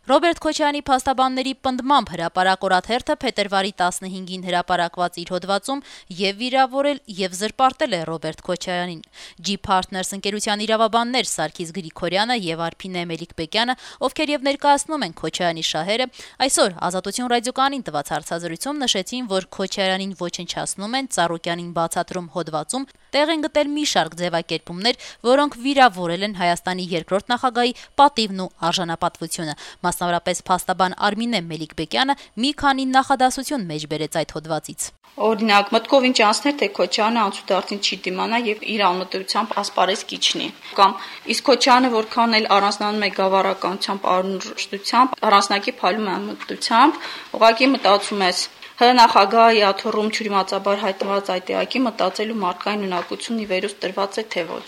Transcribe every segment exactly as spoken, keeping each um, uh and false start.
Ռոբերտ Քոչարյանի փաստաբանների պնդմամբ հրապարակ օրաթերթը փետրվարի տասնհինգին հրապարակված իր հոդվածում եւ վիրավորել եւ զրպարտել է Ռոբերտ Քոչարյանին։ G-Partners ընկերության իրավաբաններ Սարգիս Գրիգորյանը եւ Արփինե Մելիք-Բեկյանը, ովքեր եւ ներկայացնում են Քոչարյանի շահերը, այսօր Ազատություն ռադիոկայանին տված հարցազրույցում նշեցին, որ Քոչարյանին ոչնչացնում են Ծառուկյանին բացատրում հոդվածում, տեղ են գտել մի շարք ձևակերպումներ, որոնք վիրավորել են Հայաստանի երկրորդ նախագահի պատիվն ու արժանապատվությունը։ Մասնավորապես փաստաբան Արմինե Մելիք-Բեկյանը մի քանի նախադասություն մեջ բերեց այդ հոդվածից։ Օրինակ, մտքով ինչ անցներ, թե Քոչարյանը անցուդարձին չի դիմանա եւ իր անմտությամբ ասպարեզ կիջնի։ Կամ իսկ Քոչարյանը որքան էլ առանձնանում է գավառականությամբ, արունշտությամբ, առանձնակի փալում է անմտությամբ, ուղղակի մտածում ես Հ նախագահի աթոռում ճյուրիմացաբար հայտնված այդ էակի մտածելու մարդկային ունակությունն ի վերուս տրված է թե ոչ։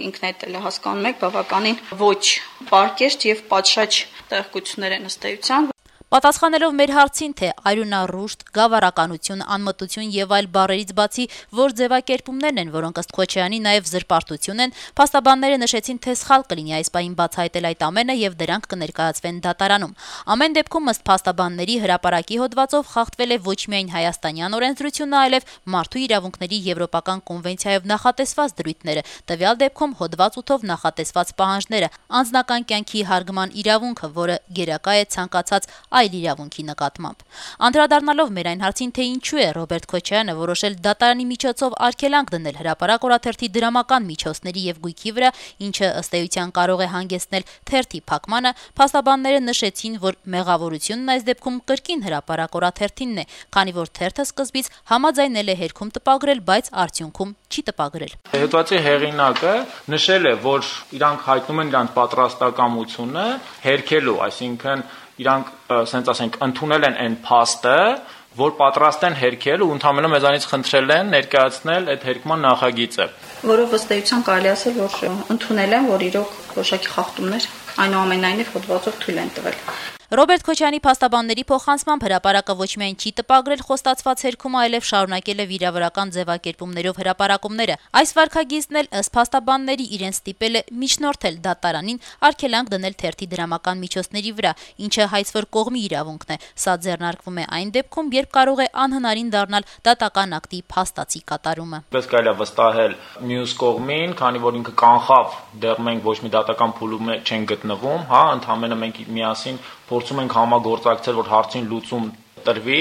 Ինքն այդ էլ հասկանում եք, բավականին ոչ պարկեշտ եւ պատշաճ տեղեկություններ են ըստ էության։ Պատասխանելով մեր հարցին, թե արյունառուշտ, գավառականություն, անմտություն եւ այլ բառերից բացի որ ձևակերպումներն են, որոնք ըստ Քոչարյանի նաեւ զրպարտություն են, փաստաբանները նշեցին, թե սխալ կլինի այս պահին բացահայտել այդ ամենը եւ դրանք կներկայացվեն դատարանում։ Ամեն դեպքում ըստ փաստաբանների հրապարակի հոդվածով խախտվել է ոչ միայն հայաստանյան օրենսդրությունը, այլև մարդու իրավունքների եվրոպական կոնվենցիայով նախատեսված դրույթները, տվյալ դեպքում հոդված ութով նախատեսված պահանջները, անձնական կյանքի հարգման իրավունքը, որը գերակա է ցանկացած այլ իրավունքի նկատմամբ։ Անդրադառնալով մեր այն հարցին, թե ինչու է Ռոբերտ Քոչարյանը որոշել դատարանի միջոցով արգելանք դնել հրապարակ օրաթերթի դրամական միջոցների եւ գույքի վրա, ինչը ըստ էության կարող է հանգեցնել թերթի փակմանը, փաստաբանները նշեցին, որ մեղավորությունն այս դեպքում կրկին հրապարակ օրաթերթինն է, քանի որ թերթը սկզբից համաձայնել է հերքում տպագրել, բայց արդյունքում չի տպագրել։ Հոդվածի հեղինակը նշել է, որ իրանք հայտնում են իրանք պատրաստակամությունը հերքելու, այսինքն իրանք, ասենք ասենք, ընդունել են այն փաստը, որ պատրաստ են հերքել ու ընդհանրապես մեզանից խնդրել են ներկայացնել այդ հերքման նախագիծը։ Որով ըստ էության կարելի ասել, որ ընդունել են, որ իրոք որոշակի խախտումներ այնուամենայնիվ հոդվածով թույլ են տվել։ Ռոբերտ Քոչարյանի փաստաբանների փոխանցմամբ հրապարակը ոչ միայն չի տպագրել խոստացված հերքումը, այլև շարունակել է վիրավորական ձևակերպումներով հրապարակումները։ Այս վարքագիծն էլ ըստ փաստաբանների իրեն ստիպել է միջնորդել դատարանին արգելանք դնել թերթի դրամական միջոցների վրա, ինչը հայցվոր կողմի իրավունքն է։ Սա ձեռնարկվում է այն դեպքում, երբ կարող է անհնարին դառնալ դատական ակտի փաստացի կատարումը։ Պես կարելի է վստահել մյուս կողմին, քանի որ ինքը կանխավ, դեռ մենք ոչ մի դատական փուլում չենք գտնվում, հա, ընդհանրապես մենք միասին փորձում ենք համագործակցել, որ հարցին լուծում տրվի,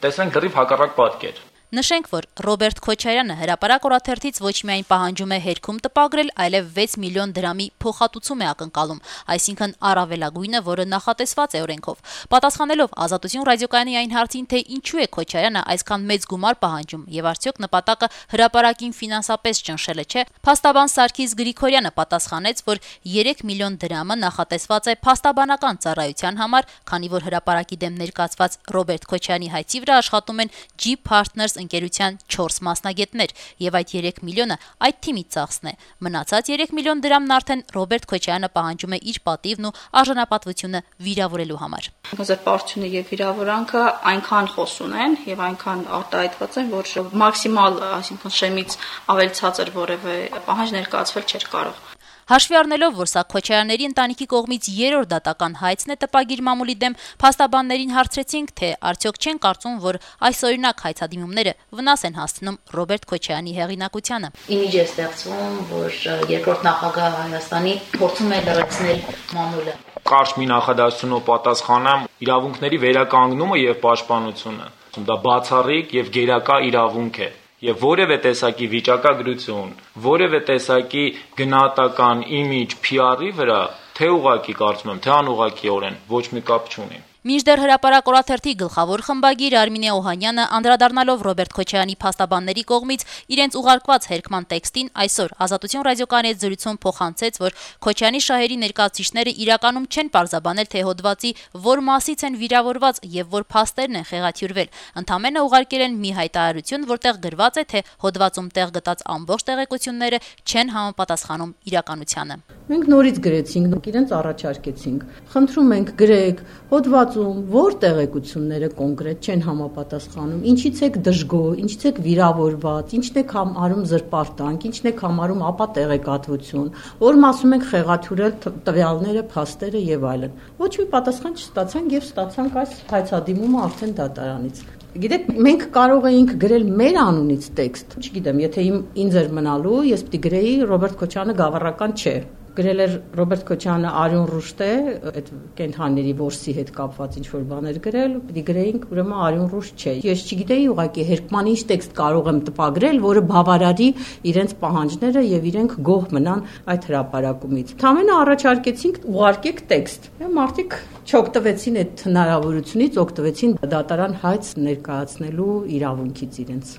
տեսնենք դեռ հակառակ պատկեր։ Նշենք, որ Ռոբերտ Քոչարյանը հրապարակ օրաթերթից ոչ միայն պահանջում է հերքում տպագրել, այլև վեց միլիոն դրամի փոխհատուցում է ակնկալում, այսինքն առավելագույնը, որը նախատեսված է օրենքով։ Պատասխանելով Ազատություն ռադիոկայանի այն հարցին, թե ինչու է Քոչարյանը այսքան մեծ գումար պահանջում եւ արդյոք նպատակը հրապարակին ֆինանսապես ճնշելը չէ, փաստաբան Սարգիս Գրիգորյանը պատասխանեց, որ երեք միլիոն դրամը նախատեսված է փաստաբանական ծառայության համար, քանի որ հրապարակի դեմ ներկայացված Ռոբերտ Քոչարյանի հայցի վրա աշխատում են G-Partners ընկերության չորս մասնագետներ եւ այդ երեք միլիոնը այդ թիմից ծախսն է։ Մնացած երեք միլիոն դրամն արդեն Ռոբերտ Քոչարյանը պահանջում է իր պատիվն ու արժանապատվությունը վիրավորելու համար։ Զրպարտությունը եւ վիրավորանքը այնքան խոսուն են եւ այնքան արտահայտված են, որ մաքսիմալ, այսինքն շեմից ավելի ցածր որևէ պահանջ ներկայացվել չէր կարող։ Հաշվի առնելով, որ սա Քոչարյանների ընտանիքի կողմից երրորդ դատական հայցն է տպագիր մամուլի դեմ, փաստաբաններին հարցրեցինք, թե արդյոք չեն կարծում, որ այսօրինակ հայցադիմումները վնաս են հասցնում Ռոբերտ Քոչարյանի հեղինակությանը։ Իմիջ է ստեղծվում, որ երկրորդ նախագահ Հայաստանի փորձում է լրացնել մամուլը։ Կարճ մի նախադասությունով պատասխանեմ, իրավունքների վերականգնումը եւ պաշտպանությունը, դա բացառիկ եւ գերակա իրավունք է։ Եվ որևէ տեսակի վիճակագրություն, որևէ տեսակի գնահատական իմիջ P R-ի վրա թե ուղղակի կարծում եմ, թե անուղղակիորեն ոչ մի կապ չունի։ Մինչդեռ հրապարակ օրաթերթի գլխավոր խմբագիր Արմինե Օհանյանը անդրադառնալով Ռոբերտ Քոչարյանի փաստաբանների կողմից իրենց ուղարկված հերքման տեքստին այսօր Ազատություն ռադիոկայանի հետ զրույցում փոխանցեց, որ Քոչարյանի շահերի ներկայացուցիչները իրականում չեն պարզաբանել, թե հոդվածի որ մասից են վիրավորված եւ որ փաստերն են խեղաթյուրվել։ Ընդամենը ուղարկել են մի հայտարարություն, որտեղ գրված է, թե հոդվածում տեղ գտած ամբողջ տեղեկությունները չեն համապատասխանում իրականությանը։ Մենք նորից գրեցինք, իրենց առաջարկեցինք։ Խնդրում ենք գրեք հոդված հոդվածում որ տեղեկությունները կոնկրետ չեն համապատասխանում, ինչից եք դժգոհ, ինչից եք վիրավորված, ինչն եք համարում զրպարտանք, ինչն եք համարում ապա տեղեկատվություն, որ ասում ենք խեղաթյուրել տվյալները, փաստերը եւ այլն։ Ոչ մի պատասխան չստացանք եւ ստացանք այս հայցադիմումը արդեն դատարանից։ Գիտեք, մենք կարող էինք գրել մեր անունից տեքստ, չգիտեմ, եթե իմ ինձ էր մնալու, ես պիտի գրեի Ռոբերտ Քոչարյանը գավառական չէ։ Գրել էր Ռոբերտ Քոչարյանը Արյուն Ռուշտ է, այդ կենթանիների որսի հետ կապված ինչ որ բաներ գրել, պիտի գրեինք ուրեմն Արյուն Ռուշտ չէ։ Ես չգիտեի ուղղակի հերկման ինչ տեքստ կարող եմ տպագրել, որը բավարարի իրենց պահանջները եւ իրենք գոհ մնան այդ հրապարակումից։ Թամենը առաջարկեցինք ուղարկեք տեքստ։ Մարդիկ չօգտվեցին այդ հնարավորությունից, օգտվեցին դատարան հայց ներկայացնելու իրավունքից իրենց։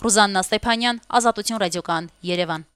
Ռուզաննա Ստեփանյան, Ազատություն ռադիոկայան, Երևան։